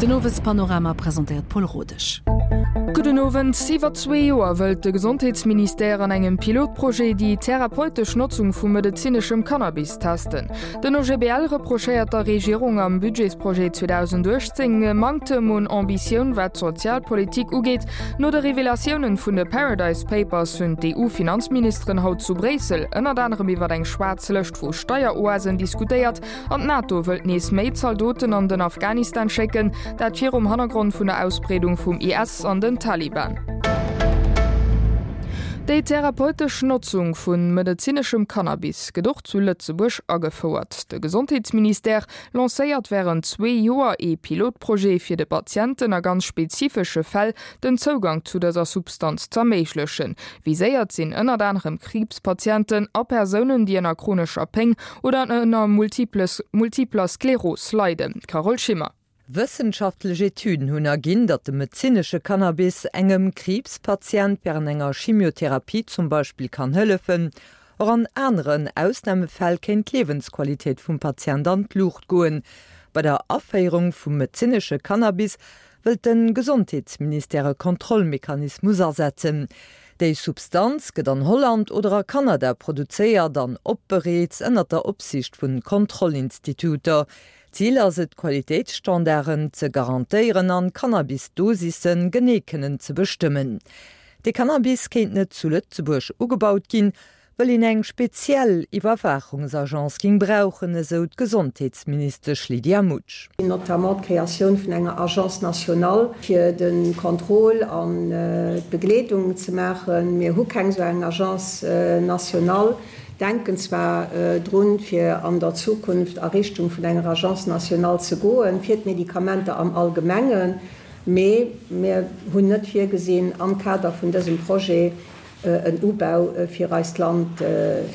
Den Owespanorama presentéiert d'Paul Rodesch. Gudden Owend. Iwwer zwee Joer wëllt de Gesondheetsministère an engem Pilotprojet déi therapeutesch Notzung vu medezineschem Cannabis testen. Den OGBL reprochéiert der Regierung am Budgetsprojet 2018 e Manktem un Ambitioun wat d'Sozialpolitik ugeet. No de Revelatiounen vun de Paradise Papers hunn d'EU-Finanzministeren haut zu Bréissel ënnert anerem iwwer eng schwaarz Lëscht vu Steieroasen diskutéiert an d'NATO wëllt nees méi Zaldoten an den Afghanistan schécken, dat virum Hannergrond vun der Ausbreedung vum IS an den Taliban. Déi therapeutesch Notzung vu medezineschem Cannabis gëtt och zu Lëtzebuerg agefouert. De Gesondheetsministère lancéiert wärend zwee Joer ee Pilotprojet, fir de Patienten a ganz spezifesche Fäll den Zougang zu dëser Substanz z'erméiglechen. Viséiert sinn ënnert anerem Kriibspatienten a Persounen, déi ënner chronescher Péng oder ënner Multipler Skleros leiden. Carole Schimmer. Wëssenschaftlech Etüden hunn erginn, datt de medezinesche Cannabis engem Kriibspatient wärend enger Chimiotherapie zum Beispill kann hëllefen. Och an aneren Ausnamefäll kéint d'Liewensqualitéit vum Patient an d'Luucht goen. Bei der Aféierung vum medezinesche Cannabis wëllt de Gesondheetsministère e Kontrollmechanismus asetzen. Déi Substanz gëtt an Holland oder a Kanada produzéiert an opbereet ënnert der Opsiicht vun Kontrollinstituter. Zil ass et, d'Qualitéitsstandarden ze garantéieren an d'Cannabis-Dosisse genee kënnen ze bestëmmen. De Cannabis kéint net zu Lëtzebuerg ugebaut ginn, wëll een eng speziell Iwwerwaachungsagence ging brauchen, esou d'Gesondheetsministesch Lydia Mutsch. Notamment d'Kreatioun vun enger Agence nationale fir de Contrôle an d'Begleedung ze maachen. Mir hu keng esou eng Agence nationale, denken zwar drun, fir an der Zukunft a Richtung vun enger Agence nationale ze goen, fir d'Medikamenter am Allgemengen, mee mir hunn net virgesinn, am Kader vun dësem Projet en Ubau fir eist Land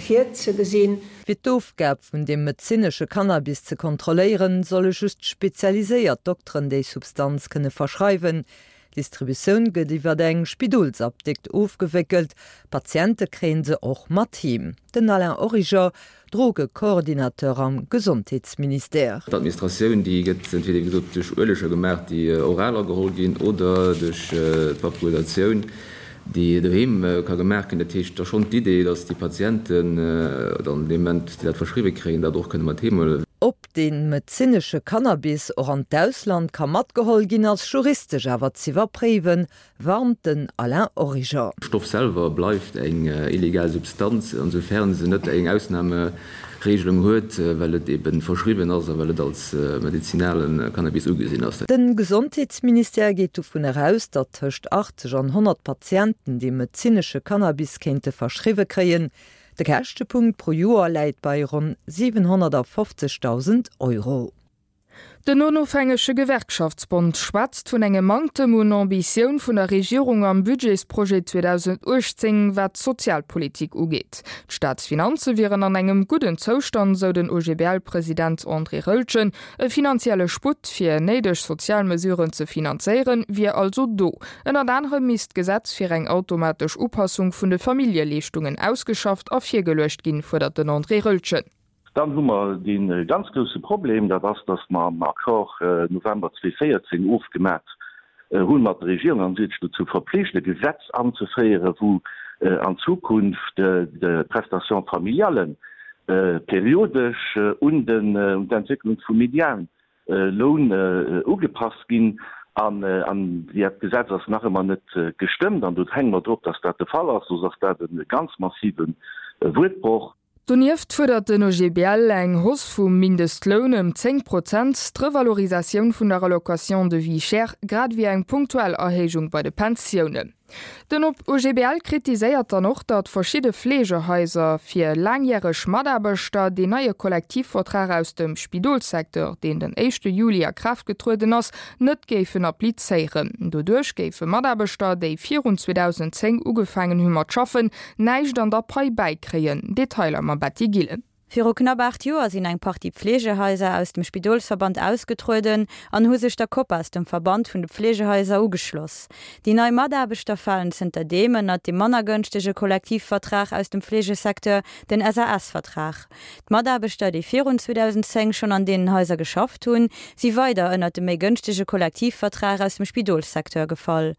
virzegesinn. Fir d'Ofgab vun deem medezinesche Cannabis ze kontrolléieren, solle just spezialiséiert Dokteren déi Substanz kënne verschreiwen. D'Distributioun gëtt iwwer eng Spidolsapdikt ofgewéckelt, Patiente kréien se och mat heem. Den Alain Origer, Drogecoordinateur am Gesondheetsministère. D'Administratioun, déi gëtt entweder, wéi gesot, duerch Ueleger gemaach, déi oral ageholl ginn, oder duerch d'Vaporisatioun, déi doheem ka gemaach ginn. Dat heescht, et ass schonn d'Idee, datt déi Patienten dann dee Moment, déi dat verschriwwe kréien, dat och kënne mat heem huelen. Ob dee medezinesche Cannabis och an d'Ausland ka matgeholl ginn, ass juristesch awer z'iwwerpréiwen, warnt den Alain Origer. Stoff selwer bleift eng illegal Substanz, ansoufern se net eng Ausnahmeregelung huet, well et eben verschriwwen ass a well et als medizinale Cannabis ugesinn ass. De Gesondheetsministère geet dovun eraus, datt tëscht 80 an 100 Patienten dee medezinesche Cannabis kéinte verschriwwe kréien. De Käschtepunkt pro Joer läit bei ronn 750.000 Euro. Den onofhängege Gewerkschaftsbond schwätzt vun engem Manktem un Ambitioun vun der Regierung am Budgetsprojet 2018, wat d'Sozialpolitik ugeet. D'Staatsfinanze wieren an engem gudden Zoustand, sou den OGBL-President André Roeltgen. E finanzielle Sputt, fir néideg sozial Mesuren ze finanzéieren, wier also do. Ënnert anerem misst d'Gesetz fir eng automatesch Upassung vun de Familljeleeschtungen ausgeschafft a virgeluecht ginn, fuerdert den André Roeltgen. Dann hu mer dee ganz grousse Problem, dat ass, dass mer am Accord November 2014 ofgemat hu mat der Regierung, an si huet sech dozou verpflicht, e Gesetz anzeféieren, wou an Zukunft d'Prestations familiales periodesch un d'Entwécklung vum Medianloun ugepasst ginn. An dat Gesetz ass nach ëmmer net gestëmmt an do hänke mer drop, dass dat de Fall ass, soss ass dat e ganz massive Wuertbroch. Donieft fuerdert den OGBL eng Hausse vum Mindestloun ëm 10 Prozent, d'Revalorisatioun vun der Allocation de vie chère, grad ewéi eng punktuell Erhéijung bei de Pensiounen. Den OGBL kritiséiert dann och, datt verschidde Fleegehaiser fir laangjäreg Mataarbechter deen neie Kollektivvertrag aus dem Spidolssecteur, deen den éischte Juli a Kraaft getrueden ass, net géifen applizéieren. Doduerch géife Mataarbechter, déi virun 2010 ugefaangen hu mat schaffen, näischt an der Pai bäikréien. Detailer mam Betty Gillen. Viru knapp 8 Joer sinn eng Partie Pflegehaiser aus dem Spidolsverband ausgetrueden an hu sech der COPAS, dem Verband vun de Pflegehaiser, ugeschloss. Déi nei Mataarbechter falen zënter deem ënnert dee manner gënschtege Kollektivvertrag aus dem Fleegesecteur, den SAS-Vertrag. D'Mataarbechter, déi virun 2010 schonn an deenen Haiser geschafft hunn, si weider ënnert de méi gënschtege Kollektivvertrag aus dem Spidolssecteur gefall.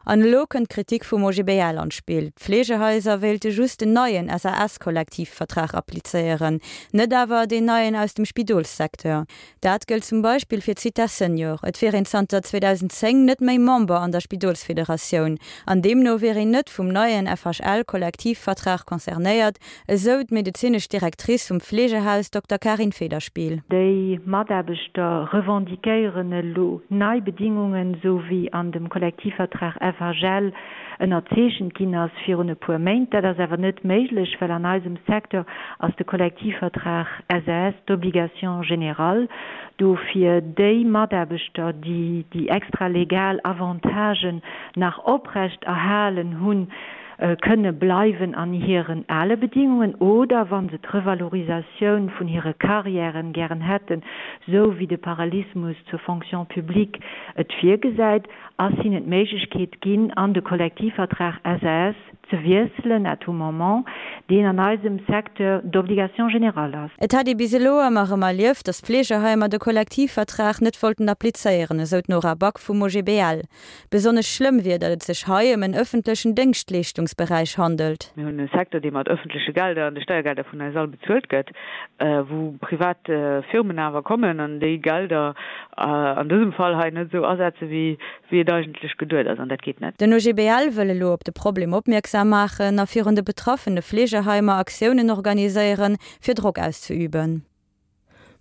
An elo kënnt d'Kritik vum OGBL an d'Spill, D'Fleegehaiser wéilte just den neien SAS-Kollektivvertrag applizéieren, net awer deen neien aus dem Spidolssecteur. Dat gëllt zum Beispill fir d'Zitha Senior. Et wier een zanter 2010 net méi Member an der Spidolsfederatioun an deemno wier een net vum neien FHL-Kollektivvertrag concernéiert, esou d'medezinesch Directrice vum Fleegehaus Dokter Karin Federspiel. Déi Mataarbechter revendiquéieren elo nei Bedingungen, esou wéi an dem Kollektivvertrag FHL ënnerzeechent ginn ass virun e puer Méint. Dat ass awer net méiglech, well an eisem Secteur ass de Kollektivvertrag SAS d'obligation générale. Dofir déi Mataarbechter, déi déi extralegal Avantagen nach oprecht erhalen hunn, kënne bleiwen an hiren ale Bedingungen oder, wa se d'Revalorisatioun vun hire Carrièren gären hätten, sou wéi de Parallelismus zur Fonction publique et virgesäit, ass hinnen d'Méiglechkeet ginn, an de Kollektivvertrag SAS ze wiesselen à tout moment, deen an eisem Secteur d'obligation générale ass. Et hätt ee bis elo ëmmer erëm erlieft, datt d'Fleegeheimer de Kollektivvertrag net wollten applizéieren, esou d'Nora Back vum OGBL. Besonnesch schlëmm wier, datt et sech hei ëm en ëffentlechen Déngschtleeschtungsberäich handelt. Mir hunn e Secteur, dee mat ëffentleche Gelder an de Steiergelder vun eis all bezuelt gëtt, wou privat Firmen awer kommen an déi Gelder an dësem Fall hei net esou asetzen, wéi wéi et eigentlech geduet ass. An dat geet net. Den OGBL wëll elo op de Problem opmierksam maachen a virun de betraffene Fleegeheimer Aktiounen organiséieren, fir Drock auszeüben.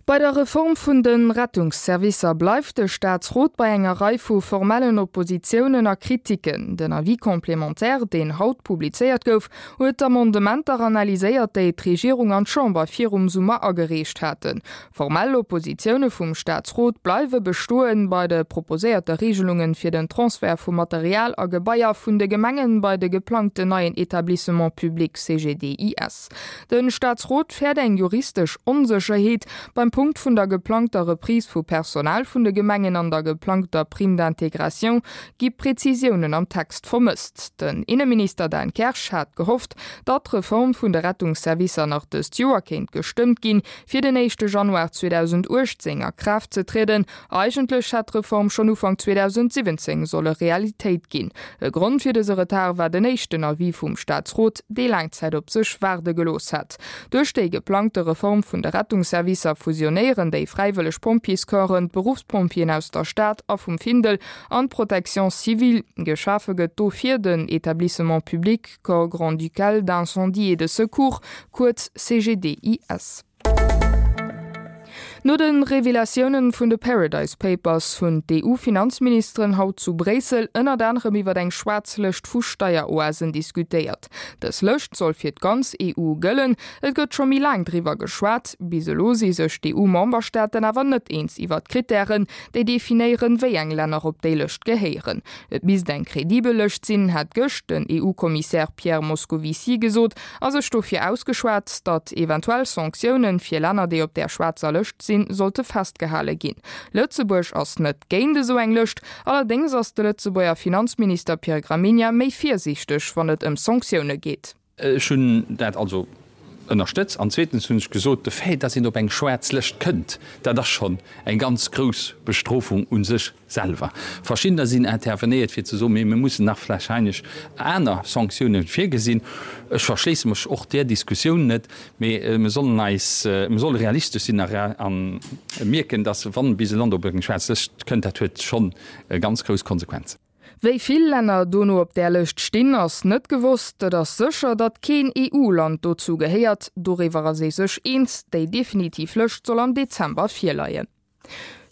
Bei der Reform vun de Rettungsservicer bleift de Staatsrot bei enger Rei vu formellen Oppositiounen a Kritiken. Den Avis complémentaire, deen haut publizéiert gouf, huet d'Amendementer analyséiert, déi d'Regierung an d'Chamber virum Summer agereecht haten. Formell Oppositioune vum Staatsrot bleiwe bestoen bei de proposéierte Reegelunge fir den Transfert vu Material a Gebaier vun de Gemengen bei de geplangten neien Etablissement public CGDIS. De Staatsrot fäert eng juristesch Onsécherheet beim Punkt vun der geplangter Reprise vu Personal vun de Gemengen an der geplangter Prime d'intégration gi Prezisiounen am Text vermësst. Den Inneminister Dan Kersch hat gehofft, datt d'Reform vun de Rettungsservicer nach dëst Joer kéint gestëmmt ginn, fir den éischte Januar 2018 a Kraaft ze trieden. Eigentlech hätt d'Reform schonn Ufank 2017 solle Realitéit ginn. E Grond fir dëse Retard war den éischten Avis vum Staatsrot, dee laang Zäit op sech waarde gelooss hat. Duerch déi geplangte Reform vun de Rettungsservicer fusionéieren déi fräiwëlleg Pompjeescorpsen, d'Beruffspompjeeën aus der Stad a vum Findel an d'Protection civile. Geschafe gëtt dofir den Etablissement public Corps grand-ducal d'incendie et de secours, kuerz CGDIS. No de Revelatiounen vun de Paradise Papers hunn d'EU-Finanzministeren haut zu Bréissel ënnert anerem iwwer eng schwaarz Lëscht vu Steieroasen diskutéiert. Dës Lëscht soll fir d'ganz EU gëllen. Et gëtt scho méi laang driwwer geschwat. Bis elo si sech d'EU-Memberstaaten awer net eens iwwer d'Krittären, déi definéieren, wéi eng Länner op déi Lëscht gehéieren. Et misst eng kredibel Lëscht sinn, hat gëscht den EU-Kommissär Pierre Moscovici gesot a sech dofir ausgeschwat, datt eventuell Sanktioune fir Länner, déi op där schwaarzer Lëscht sinn, sollte festgehale ginn. Lëtzebuerg ass net géint esou eng Lëscht, allerdéngs ass de Lëtzebuerger Finanzminister Pierre Gramegna méi virsiichteg, wann et ëm Sanktioune geet. Ech hunn dat also ënnerstëtzt. An zweetens hunn ech gesot, de Fait, dass een op eng schwaarz Lëscht kënnt, dat ass schonn eng ganz grouss Bestrofung u sech selwer. Verschiddener sinn intervenéiert, fir ze soen, mee mir mussen nach vlächeinlech aner Sanktiounen virgesinn. Ech verschléisse mech och där Diskussioun net, mee mir sollen eis, mir solle realistesch sinn a mierken, dass, wann bis e Land op eng schwaarz Lëscht kënnt, dat huet schonn ganz grouss Konsequenzen. Wéi vill Länner dono op där Lëscht stinn, ass net gewosst. Et ass sécher, datt keen EU-Land dozou gehéiert. Doriwwer ass ee sech eens. Déi definitiv Lëscht soll am Dezember virleien.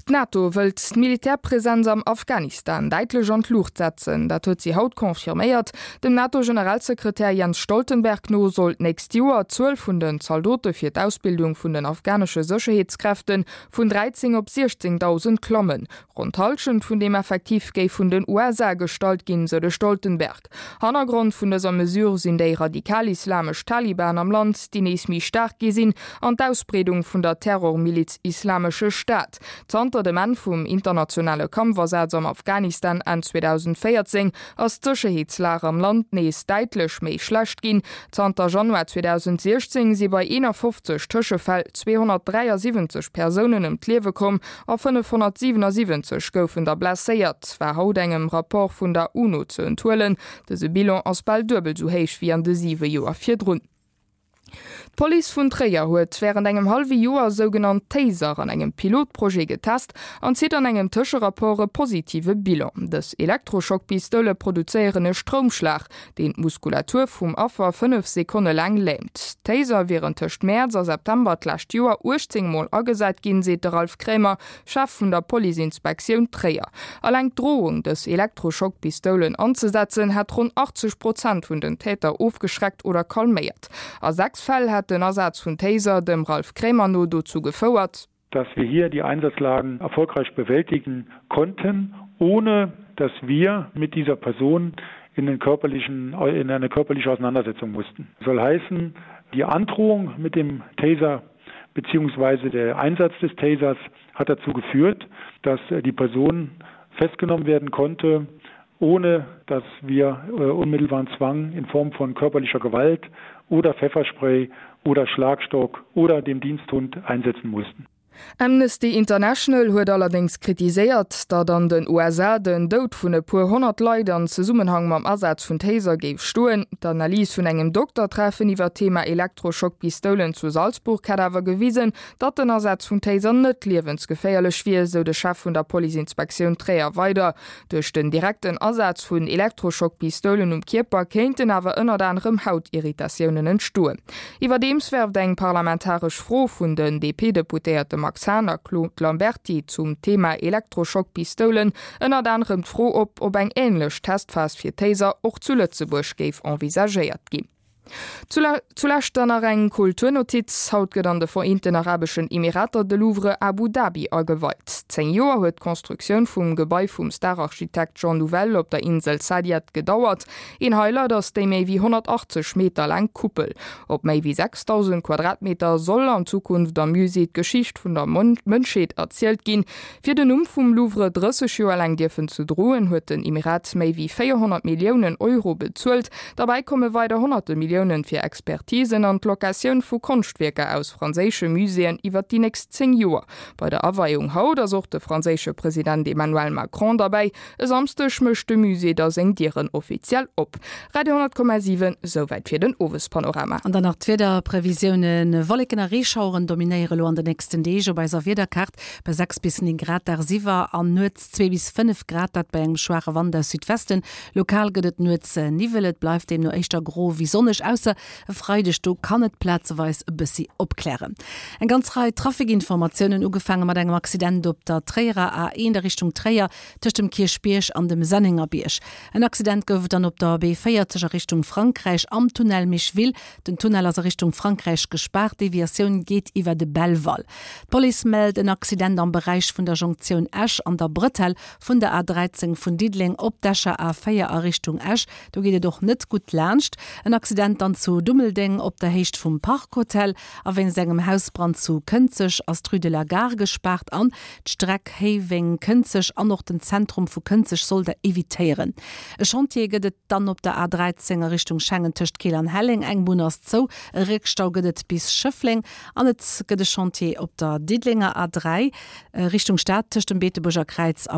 D'NATO wëllt d'Militärpresenz am Afghanistan däitlech an d'Luucht setzen. Dat huet si haut confirméiert. Dem NATO-Generalsekretär Jens Stoltenberg no soll d'nächst Joer d'Zuel vun den Zaldote fir d'Ausbildung vun den afghanesche Sécherheetskräfte vun 13 op 16.000 klammen. Ronn d'Hallschent vun deem Effektiv géif vun den USA gestallt ginn, sou de Stoltenberg. Hannergrond vun dëser Mesure sinn déi radikal-islamesch Taliban am Land, déi nees méi staark gi sinn, an d'Ausbreedung vun der Terrormiliz Islamesche Staat. Zanter dem Enn vum internationale Kampfasaz am Afghanistan Enn 2014 ass d'Sécherheetslag am Land nees däitlech méi schlecht ginn. Zanter Januar 2016 si bei 51 Tëschefäll 273 Persounen ëm d'Liewe komm A 577 goufen der blesséiert, war haut engem Rapport vun der UNO ze enthuelen. Dëse Bilan ass bal duebel sou héich wéi an de siwe Joer virdrun. D'Police vun Tréier huet wärend engem hallwe Joer sougenannt Taser an engem Pilotprojet getest an zitt an engem Tëscherapport e positive Bilan. Dës Elektroschockpistoule produzéieren e Stroumschlag, deen d'Muskulatur vum Affer 5 Sekonne laang lähmt. D'Taser wieren tëscht Mäerz a September d'lescht Joer 18 Mol agesat ginn, seet de Ralph Kremer, Chef vun der Police-Inspektioun Tréier. Alleng d'Drohung, dës Elektroschockpistoulen anzesetzen, hätt ronn 80 Prozent vun den Täter ofgeschreckt oder calméiert. A 6 Fäll hätt den Asaz vun Taser dem Ralph Kremer no dozou gefouert, dass wir hier die Einsatzlagen erfolgreich bewältigen konnten, ohne dass wir mit dieser Person in den körperlichen in eine körperliche Auseinandersetzung mussten. Das soll heißen, die Androhung mit dem Taser beziehungsweise der Einsatz des Tasers hat dazu geführt, dass die Person festgenommen werden konnte, ohne dass wir äh, unmittelbaren Zwang in Form von körperlicher Gewalt oder Pfefferspray oder Schlagstock oder dem Diensthund einsetzen mussten. Amnesty International huet allerdéngs kritiséiert, datt an den USA den Doud vun e puer 100 Leit an Zesummenhang mam Asaz vun Taser géif stoen. D'Analys vun engem Doktertreffen iwwer d'Thema Elektroschockpistoulen zu Salzburg hätt awer gewisen, datt den Asaz vun Taser net liewensgeféierlech wier, sou de Chef vun der Policeinspektioun Tréier weider. Duerch den direkten Asaz vun Elektroschockpistoulen um Kierper kéinten awer ënnert anerem Hautirritatiounen entstoen. Iwwerdeems werft eng parlamentaresch Fro vun den DP-Deputéierte Max Hahn a Claude Lamberty zum Thema Elektroschockpistoulen ënnert anerem d'Fro op, ob eng änlech Testphas fir Taser och zu Lëtzebuerg géif envisagéiert ginn. Zulescht dann nach eng Kulturnotiz, Haut gëtt an de Vereenten Arabeschen Emirater de Louvre Abu Dhabi ageweit. 10 Joer huet d'Constructioun vum Gebai vum Stararchitekt Jean Nouvel op der Insel Saadiyat gedauert. Een Highlight ass déi méi wéi 180 Meter laang Kuppel. Op méi wéi 6.000 Quadratmeter soll an Zukunft am Musée d'Geschicht vun der Mënschheet erzielt ginn. Fir den Numm vum Louvre 30 Joer laang dierfen ze droen, huet den Emirat méi wéi 400 Milliounen Euro bezuelt. Derbäi komme weider honnerte Milliounen fir Expertisen an d'Locatioun vu Konschtwierker aus franséische Muséeën iwwer déi nächst 10 Joer. Bei der Aweiung haut ass och de franséische President Emmanuel Macron derbäi. E Samsdeg mécht de Musée da seng Dieren offiziell op. Radio 10,7, Souwäit fir den Owespanorama. An dann nach d'Wiederprevisiounen, Wolleken a Reeschaueren dominéiere lo an de nächsten Deeg op eiser Wiederkaart. Bei 6 bis 9 Grad dagsiwwer an nuets 2 bis 5 Grad, dat bei engem schwaache Wand aus Südwesten. Lokal gëtt et nuets Niwwel, et bleift deemno éischter gro wéi sonneg, ausser e Freideg, do kann et plazeweis e bëssi opklären. Eng ganz Rei Trafikinformatiounen, ugefaange mat engem Accident op der Tréierer A1 a Richtung Tréier tëscht dem Kierchbierg an dem Sennengerbierg. En Accident gouf et dann op der B40 a Richtung Frankräich am Tunnel Micheville. Den Tunnel ass a Richtung Frankräich gespaart, d'Deviatioun geet iwwer de Belval. D'Police mellt en Accident am Beräich vun der Jonktioun Esch an der Bretelle vun der A 13 vun Diddeleng op d'Escher A 4 a Richtung Esch. Do geet et och net gutt laanscht. En Accident dann zu Dummeldeng op der Héicht vum Park Hotel. A wéinst engem Hausbrand zu Kënzeg ass d'Rue de la Gare gespaart an d'Streck Héiweng-Kënzeg an och den Zentrum vu Kënzeg soll der evitéieren. E Chantier gëtt et dann op der A 13 a Richtung Schengen tëscht Keel an Helleng. Eng Bunn ass zou. E Réckstau gëtt et bis Schëffleng. An et gëtt e Chantier op der Diddelenger A 3 Richtung Stad tëscht dem Beetebuerger Kräiz a.